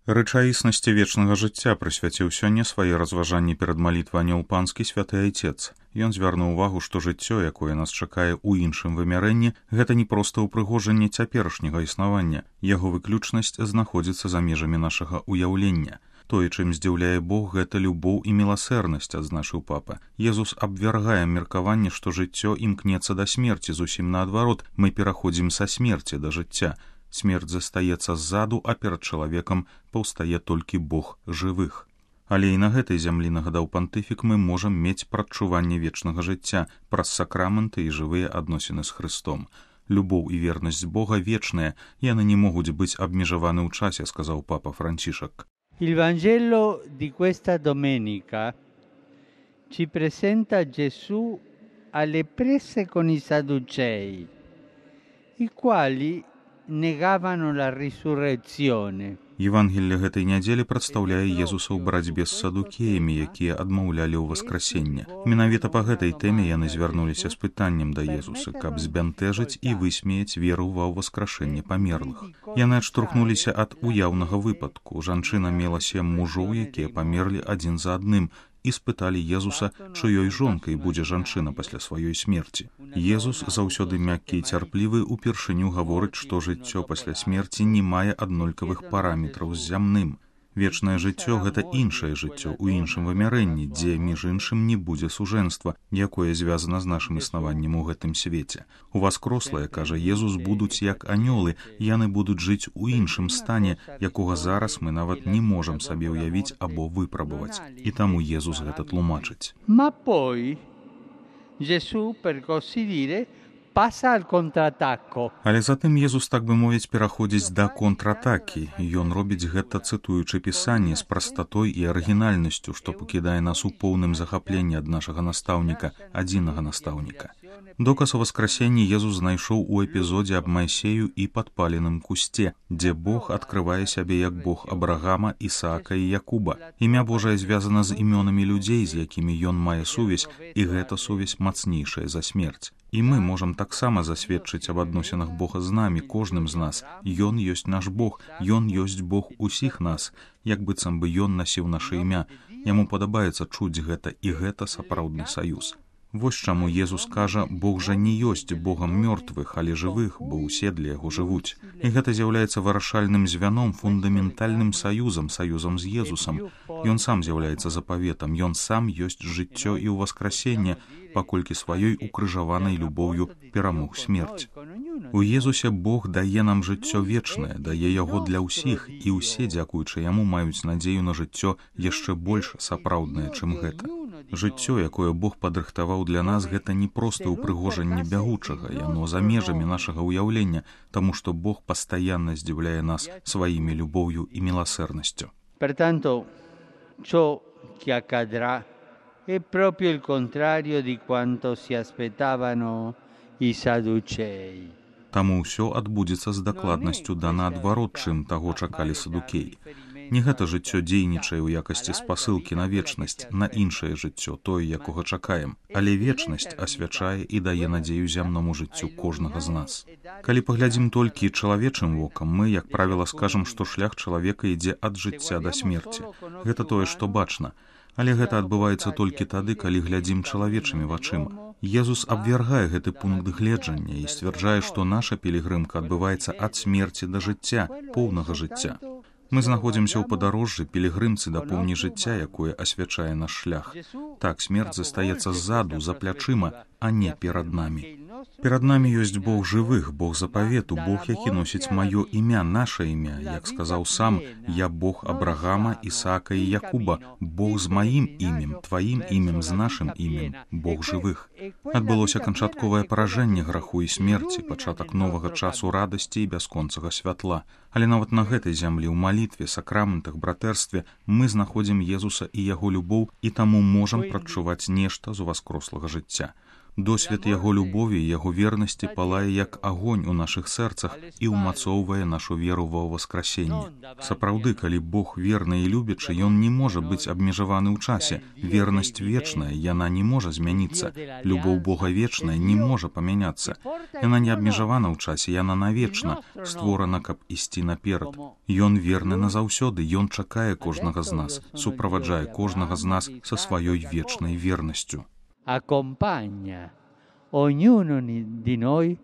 Рэчаіснасці вечнага жыцця прысвяціў сёння свае разважанні перад малітвай Анёл Панскі святы Айцец. Ён звярнуў увагу, што жыццё, якое нас чакае ў іншым вымярэнні, гэта не проста ўпрыгожанне цяперашняга існавання. Яго выключнасць знаходзіцца за межамі нашага ўяўлення. Тое, чым здзіўляе Бог, гэта любоў і міласэрнасць, адзначыў папа. Езус абвяргае меркаванне, што жыццё імкнецца да смерці, зусім наадварот, мы пераходзім са смерці да жыцця. Смерць застаецца ззаду, а перад чалавекам паўстае толькі Бог жывых. Але і на гэтай зямлі, нагадаў пантыфік, мы можам мець прадчуванне вечнага жыцця праз сакрамэнты і жывыя адносіны з Хрыстом. Любоў і вернасць Бога вечныя, яны не могуць быць абмежаваны ў часе, сказаў папа Францішак. Il Vangelo di questa domenica ci presenta Gesù alle prese con i Sadducei, i quali negavano la risurrezione. Евангелле гэтай нядзелі прадстаўляе Езуса ў барацьбе з садукеямі, якія адмаўлялі ў воскресенне. Менавіта па гэтай тэме яны звярнуліся з пытаннем да Езуса, каб збянтэжыць і высмеяць веру ва ўваскрашэнне памерлых. Яны адштурхнуліся ад уяўнага выпадку. Жанчына мела 7 мужоў, якія памерлі адзін за адным, і спыталі Езуса, чыёй жонкай будзе жанчына пасля сваёй смерці. Езус, заўсёды мяккі і цярплівы, упершыню гаворыць, што жыццё пасля смерці не мае аднолькавых параметраў з зямным. Вечнае жыццё — гэта іншае жыццё ў іншым вымярэнні, дзе, між іншым, не будзе сужэнства, якое звязана з нашым існаваннем у гэтым свеце. У васкрослыя, кажа Езус, будуць як анёлы, яны будуць жыць у іншым стане, якога зараз мы нават не можам сабе ўявіць або выпрабаваць. І таму Езус гэта тлумачыць. Ma poi Gesù, per così dire, passa al contrattacco. Але затым Езус, так бы мовіць, пераходзіць да контратакі. Ён робіць гэта, цытуючы пісанне, з прастатой і арыгінальнасцю, што пакідае нас у поўным захапленні ад нашага настаўніка, адзінага настаўніка. Доказ у воскресенні Езус знайшоў у эпізодзе аб Майсею і падпаленым кусце, дзе Бог адкрывае сябе як Бог Абрагама, Ісаака і Якуба. Імя Божае звязана з імёнамі людзей, з якімі ён мае сувязь, і гэта сувязь мацнейшая за смерць. І мы можам таксама засведчыць аб адносінах Бога з намі, кожным з нас. Ён ёсць наш Бог, ён ёсць Бог усіх нас, як быццам бы ён насіў наша імя. Яму падабаецца чуць гэта, і гэта сапраўдны саюз. Вось чаму Езус кажа, Бог жа не ёсць Богам мёртвых, але жывых, бо ўсе для яго жывуць. І гэта з'яўляецца вырашальным звяном, фундаментальным саюзам з Езусам. Ён сам з'яўляецца запаветам, ён сам ёсць жыццё і ўваскрасенне, паколькі сваёй укрыжаванай любоўю перамог смерць. У Езусе Бог дае нам жыццё вечнае, дае яго для ўсіх, і ўсе, дзякуючы яму, маюць надзею на жыццё яшчэ больш сапраўднае, чым гэта. Жыццё, якое Бог падрыхтаваў для нас, гэта не проста ўпрыгожанне бягучага, яно за межамі нашага ўяўлення, таму што Бог пастаянна здзіўляе нас сваімі любоўю і міласэрнасцю. Pertanto, ciò che accadrà è proprio il contrario di quanto si aspettavano i Sadducei. Таму ўсё адбудзецца з дакладнасцю да наадварот, чым таго чакалі садукеі. Не гэта жыццё дзейнічае ў якасці спасылкі на вечнасць, на іншае жыццё, тое, якога чакаем. Але вечнасць асвячае і дае надзею зямному жыццю кожнага з нас. Калі паглядзім толькі чалавечым вокам, мы, як правіла, скажам, што шлях чалавека ідзе ад жыцця да смерці. Гэта тое, што бачна. Але гэта адбываецца толькі тады, калі глядзім чалавечымі вачыма. Езус абвяргае гэты пункт гледжання і сцвярджае, што наша пілігрымка адбываецца ад смерці да жыцця, поўнага жыцця. Мы знаходзімся ў падарожжы, пілігрымцы да поўні жыцця, якое асвячае наш шлях. Так, смерць застаецца ззаду, за плячыма, а не перад намі. Перад намі ёсць Бог жывых, Бог запавету, Бог, які носіць маё імя, наша імя. Як сказаў сам, я Бог Абрагама, Ісаака і Якуба, Бог з маім імем, тваім імем, з нашым імем, Бог жывых. Адбылося канчатковае паражэнне граху і смерці, пачатак новага часу радасці і бясконцага святла. Але нават на гэтай зямлі, ў малітве, сакраментах, братэрстве мы знаходзім Езуса і яго любоў, і таму можам прадчуваць нешта з уваскрослага жыцця. Досвед яго любові і яго вернасці палае як агонь у нашых сэрцах і ўмацоўвае нашу веру ва ўваскрасенне. Сапраўды, калі Бог верны і любячы, ён не можа быць абмежаваны ў часе. Вернасць вечная, яна не можа змяніцца. Любоў Бога вечная не можа памяняцца. Яна не абмежавана ў часе, яна навечна, створана, каб ісці наперад. Ён верны назаўсёды, ён чакае кожнага з нас, суправаджае кожнага з нас са сваёй вечнай вернасцю. Accompagna ognuno di noi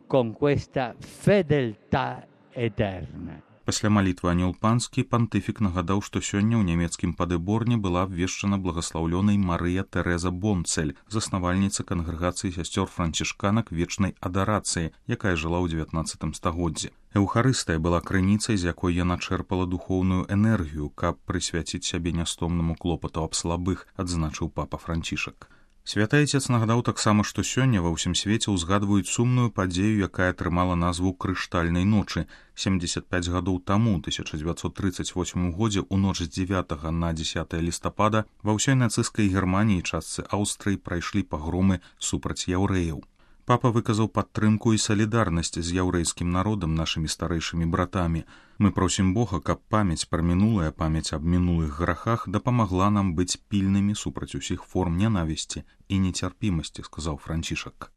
con questa fedeltà eterna. Пасля малітвы анёл панскі пантыфік нагадаў, што сёння ў нямецкім Падэборне была абвешчана благаслаўлёнай Марыя Тэрэза Бонцэль, заснавальніца кангрэгацыі сясцёр францішканак вечнай адарацыі, якая жыла ў 19 стагоддзі. Эўхарыстыя была крыніцай, з якой яна чэрпала духоўную энергію, каб прысвяціць сябе нястомнаму клопату аб слабых, адзначыў папа Францішак. Святы Айцец нагадаў таксама, што сёння ва ўсім свеце ўзгадваюць сумную падзею, якая атрымала назву крыштальнай ночы. 75 гадоў таму, 1938 годзе, у ноч з 9 на 10 лістапада, ва ўсёй нацысцкай Германіі і частцы Аўстрыі прайшлі пагромы супраць яўрэяў. Папа выказаў падтрымку і салідарнасць з яўрэйскім народам, нашымі старэйшымі братамі. Мы просім Бога, каб памяць пра мінулае, памяць аб мінулых грахах дапамагла нам быць пільнымі супраць усіх форм нянавісці і нецярпімасці, сказаў Францішак.